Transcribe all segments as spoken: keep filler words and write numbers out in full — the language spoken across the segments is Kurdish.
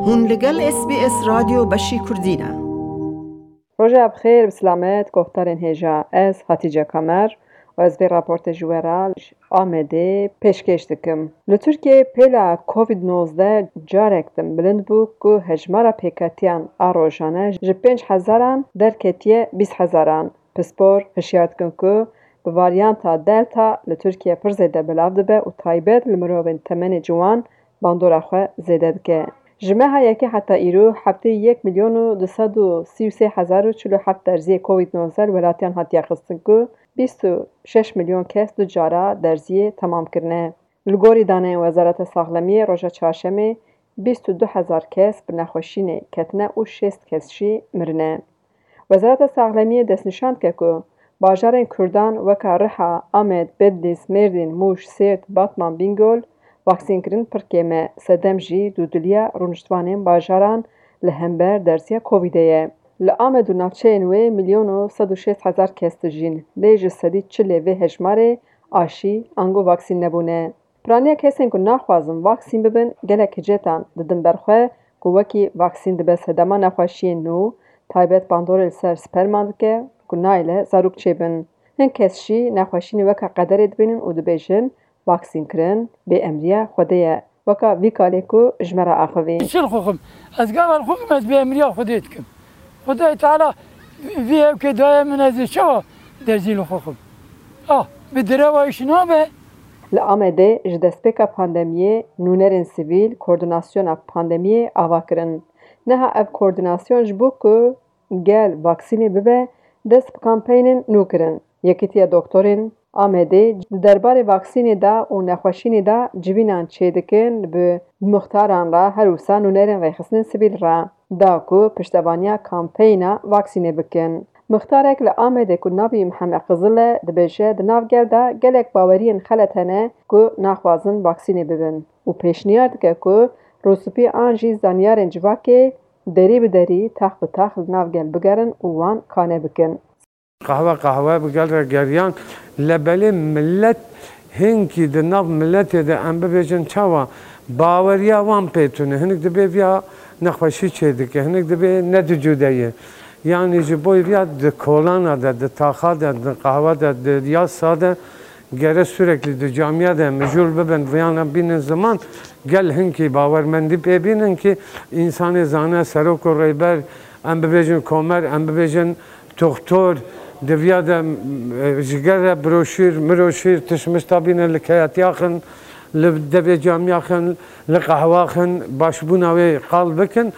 Hûn li gel S B S Radyo Beşî Kurdî ne. Roja bi xêr, bi silamet, guhdarên hêja. Ez Hatice Kamer û ez vê raportê ji we re ji Amedê pêşkêş dikim. Li Tirkiyeyê pêla Covid nozdeh carek din bilind bû ku hejmara pêketiyan a rojane ji pênc hezaran derketiye bîst hezaran. Pispor hişyar dikin ku bi varyanta Delta li Tirkiye pir zêde belav dibe û taybet li mirovên temenê ciwan bandora xwe zêde dike. Ji meha yekê heta îro heftê yek milyon û du sed û sî û sê hezar û çil û heft derziyê Covid nozdeh li welatiyan hatiye xistin ku bîst û şeş milyon kes du cara derziyê temam kirine. Li gorî daneyên Wezareta Saxlemiyê roja çarşemê bîst û du hezar kes bi nexweşînê ketine û şêst kes jî mirine. Wezareta Saxlemiyê destnîşan dike ku bajarên Kurdan weka Riha, Amed, Bedlîs, Mêrdîn, Mûş, Sêrt, Batman, Bîngol vaksînkirin pir kêm e, sedem jî dûdiliya rûniştvanên bajaran li hember derziya Covidê ye. Li Amed û navçeyên wê milyon û sed û şêst hezar kes dijîn, lê ji sedî çilê vê hejmarê aşî ango vaksîn nebûne. Piraniya kesên ku naxwazin vaksîn bibin gelek hicêtan didin ber xwe ku wekî vaksîn dibe sedema nexweşiyên nû, taybet bandorê li ser sperman dike ku nayêle zarok çêbin. Hin kes jî nexweşînê weka qederê dibînin û dibêjin, vaksînkirin bêemriya Xwedê ye, weka vî kalê ku ji me re axivî. Çi li xwe xim? Ez gava li xwe xim, ez bêemriya Xwedê dikim. Xwedayê Teala vî hevkê daye min, ez ê çawa derzî li xwe xim? Ah, bi direva îş nabe. Li Amedê ji destpêka pandemiyê nûnerên sivîl koordînasyona pandemiyê ava kirin. Niha ev koordînasyon ji bo ku gel vaksînê bibe, dest bi kampeynên nû kirin. Yekîtiya Doktorên Amedê di derbarê vaksînê de û nexweşînê de civînan çêdikin, bi muxtaran re her wisa nûnerên rêxistinên sivîl re da ku piştevaniya kampeyna vaksînê bikin. Muxtarek li Amedê ku navî Mihemed Qizil e, dibêje, di nav gel de gelek baweriyên xelet hene ku naxwazin vaksînê bibin û pêşniyar dike ku rûspî an jî zanyarên civakê derî bi derî, tax bi tax li nav gel bigerin û wan kane bikin. Qehwe qehwe bi gel re geriyan, lê belê millet hinkî di nav miletê de, em bibêjin çawa, baweriya wan pê tune. Hinek dibê viya nexweşî çêdike, hinek dibê ne di cûde ye. Yanî ji bo viya di kolana de, di taxa de, di qehwe de, di yasa de gere sürekli di camiya de mijûl bibin, viyana bînin ziman, gel hinkî bawermendî pê bînin ki însanê zane, serok û rêber, em bibêjin komer, em bibêjin toxtor, di viya de, e, ji gel re broşîr, miroşîr, tişmişta bîne li keyatiya xin, li devê camiya xin, li qehwa xin, başbûna wê qal bikin.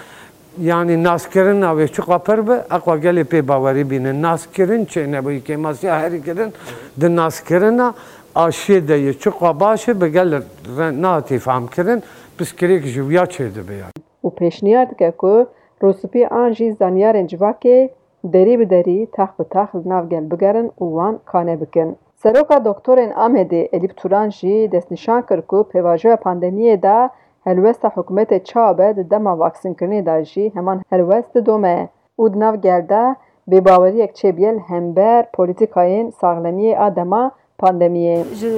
Yanî naskirina wê çiqa pir be, eqwa gelê pê bawerî bîne. Naskirin çênebûyî, kêmasiya herî kirin di naskirina aşiyê de ye. Çiqa baş e, bi gel re nehatî fehmkirin, piskirêk ji wiya çêdibe yanî. Û pêşniyar dike ku rûspî an jî zanyarên civakê derî bi derî, tax bi tax li nav gel bigerin û wan kane bikin. Seroka Doktorên Amedê Elîp Turan jî destnîşan kir ku pêvajoya pandemiyê de helwesta hikûmetê çawa be di dema vaksînkirinê de jî heman helwest didome û di nav gel de bêbaweriyek çêbûye li hember polîtîkayên saxlemiyê a dema pandemiyê. Ji,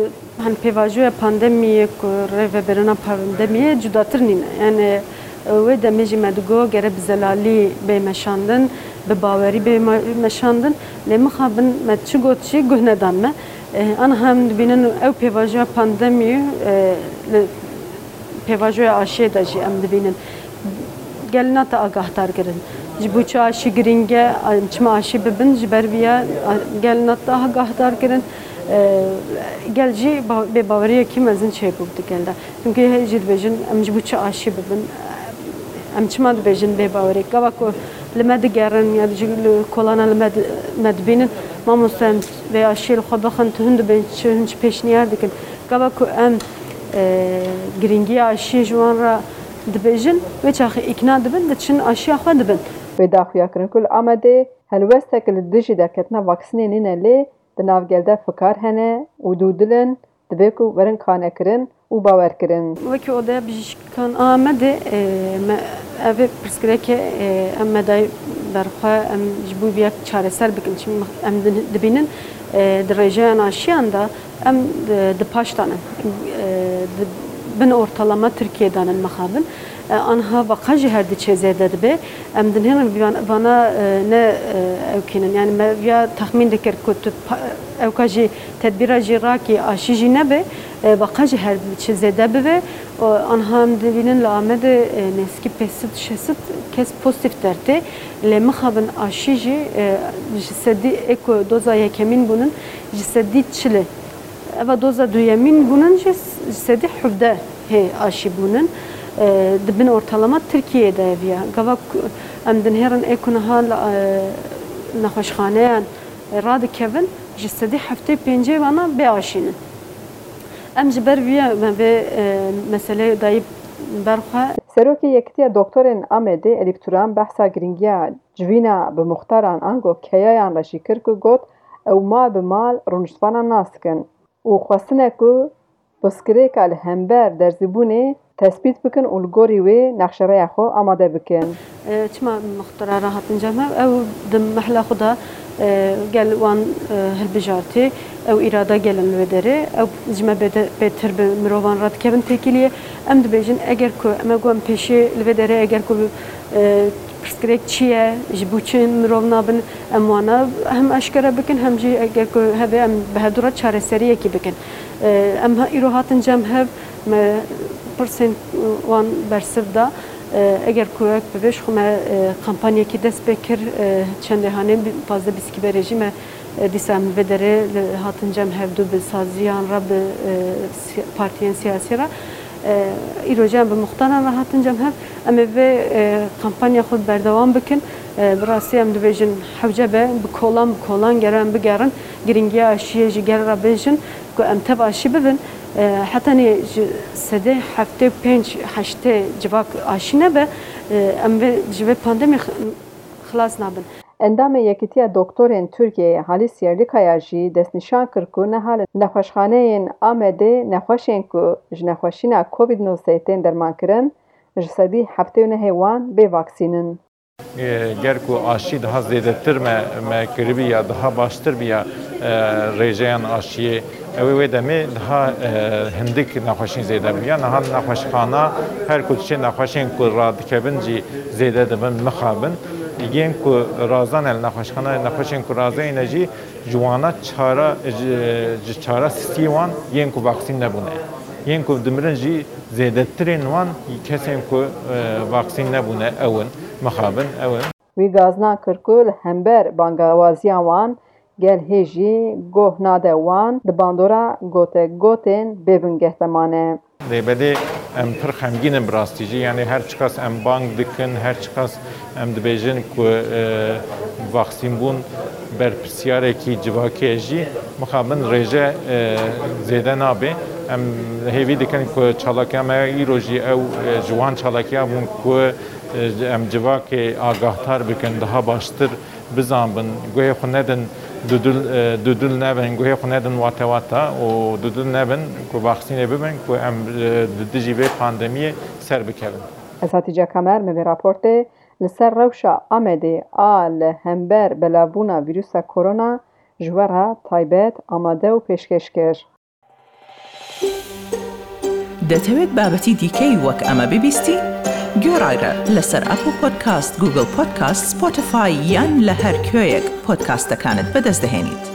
hani, pêvajoya pandemiyê ku rêvebirina pandemiyê cudatir nîne. Yani, wê demê jî me digot gere bi zelalî bê meşandin, bi bawerî bê me-, meşandin. Lê mixabin me çi got jî guh nedan me. Eh, aniha em dibînin ew pêvajoya pandemiyê, eh, li pêvajoya aşiyê de jî em dibînin. Gel nate agahdar kirin. Ji bo çi aşî girîng e, em çima aşî bibin, ji ber vî ya, a, gel nate agahdar kirin. E, gel jî ba-, bêbaweriyekî mezin çêbû di gel de. Çimkî hê jî dibêjin, em ji bo çi aşî bibin? Em çima dibêjin bêbaweriyek? Gava ku li me digerin ya jî li kolana li me di-, me dibînin, mamoste, em vê aşiyê li xwe bixin, tu hin dibên çi, hin çi pêşniyar dikin? Gava ku em, e, girîngiya aşiyê ji wan re dibêjin, wê çaxê îkna dibin, diçin aşiya xwe dibin. Wê daxuya kirin ku li Amedê helwestek li dijî derketina vaksînê nîne, lê di nav gel de fikar hene û dûdil in, divê ku werin kanekirin û bawerkirin. Wekî Odeya Bijîşkan a Amedê, e, me, ev ê pirsgirêkê, e, em me dayî ber xwe, em ji bo vê yek çareser bikin. Çimkî em di-, dibînin, e, di rêjeyan aşiyan de em, e, di paş de ne. E, di bin ortalama Tirkiyê de ne mixabin. E, anha beqa jî her diçe zêde dibe. Em dinêrin vana, vana, e, ne, e, ewkînin. Yani me viya texmîn dikir ku tu pa-, ewka jî tedbîra jî rakî aşî jî nebe, e, beqa jî her diçe zêde bibe. O, anha em dibînin li Amedê, e, nêzîkî pênc sed şeş sed kes pozîtîf dertê. Lê mixabin aşî jî, e, ji sedî ê ku doza yekemîn bûnin, ji sedî çilê. Eva doza duyemîn bûnin jî ji sedî hevdeh hê aşî bûnin. E, di bin ortalama Tirkiyeyê de ev ya. Gava ku em dinêrin ê ku niha li, e, nexweşxaneyan radikevin, ji sedî heftê pêncê vana bê aşî ne. Em ji ber vî ya me vê, e, meseleyê dayî ber xwe. Serokê Yekitiya Doktorên Amedê Edîp Turan behsa girîngiya civîna bi muxtaran ango keyayan re jî kir ku got, ew mal bi mal rûniştvanan nas dikin û xwestine ku pirsgirêka li hember derzîbûnê tespît bikin û li gorî wê nexşereya xwe amade bikin. E, çima muxtara re hatin cem hev? Ew di mehla xwe de, e, gel wan, e, hilbijartî, ew îrada gelin li wê derê, ew ji me bêde-, bêtir bi mirovan re dikevin têkiliyê. Em dibêjin, eger ku em ê got em pêşî li vê derê, eger ku, e, pirsgirêk çi ye, ji bo çi mirov nabin, em wana hem eşkere bikin, hem jî eger ku hebe em bi hevdu re çareseriyekî bikin. E, em ha-, îro hatin cem hev, me pirsên wan bersiv da. E, eger ku wek bi vê ji xwe me, e, kampanyekî dest pê kir, e, çendê hanê bi-, pazdeh bîstkî berê jî me, e, dîsa em li vê derê li hatin cem hevdu bi saziyan re, bi, e, si-, partiyên siyasî re. E, îro jî em bi muxtaran re hatin cem hev. Em ê vê, e, kampanya xwe berdewam bikin. E, bi rastî em dibêjin hewce be, bi kolan bi kolan gere em bigerin. Girîngiya aşiyê ji gel re bêjin ku em tev aşî bibin. E, hetanî ji sedê heftê û pênc heştê civak aşî nebe, e, em vê, ji vê pandemî x-, xilas nabin. Endamê Yekîtiya Doktorên Tirkiyeyê Halis Yerlikaya jî destnîşan kir ku niha li nexweşxaneyên Amedê nexweşên ku ji nexweşîna Covid nozdehe tên dermankirin, ji sedî heftê û nehê wan bê vaksîn in. Ger ku aşî daha zêdetir me, me kiribî ya daha baştir bîya, e, rêjeyan aşiyê, ew ê wê demê daha, e, hindik nexweşîn zêde bûya. Niha nexweşxana her ku diçe nexweşên ku radikevin jî zêde dibin, mixabin. Yên ku razane li nexweşxana, nexweşên ku razeyne jî ji wana çara, ji, ji çara sisiyê wan yên ku vaksîn nebûne. Yên ku dimirin jî zêdetirên wan kesên ku, e, vaksîn nebûne ew in, mixabin ew in. Wî gazna kir ku li hember bangewaziya wan gel hê jî goh nade wan di bandora gote gotên bê bingeh de mane. Lê belê em pir xemgîn in bi rastî jî. Yanî her çiqas em bang dikin, her çiqas em dibêjin ku, e, vaksînbûn berpirsiyarekî civakî ye jî, mixabin rêje, e, zêde nabe. Em hêvî dikin ku çalakiya me îro jî ew, e, ji wan çalakiya bûn ku, e, em civakê agahdar bikin, daha baştir bizanbin, guhê xwe nedin dudil, e, dudil nebin, guhê xwe nedin wate wata û dudil nebin ku vaksînê bibin ku em, e, di dijî vê pandemiyê ser bikevin. Ez Hatice Kamer, me vê raportê li ser rewşa Amedê a li hember belavbûna vîrusa korona ji we re taybet amade û pêşkêş kir. دەتەوێت بابەتی دیکەی وەک ئەمە ببیستی؟ گوێڕایرە لەسەر ئەپڵ پۆدکاست، گوگڵ پۆدکاست، سپۆتیفای یان لە هەر کوێیەک پۆدکاستەکانت بەدەست دەهێنیت.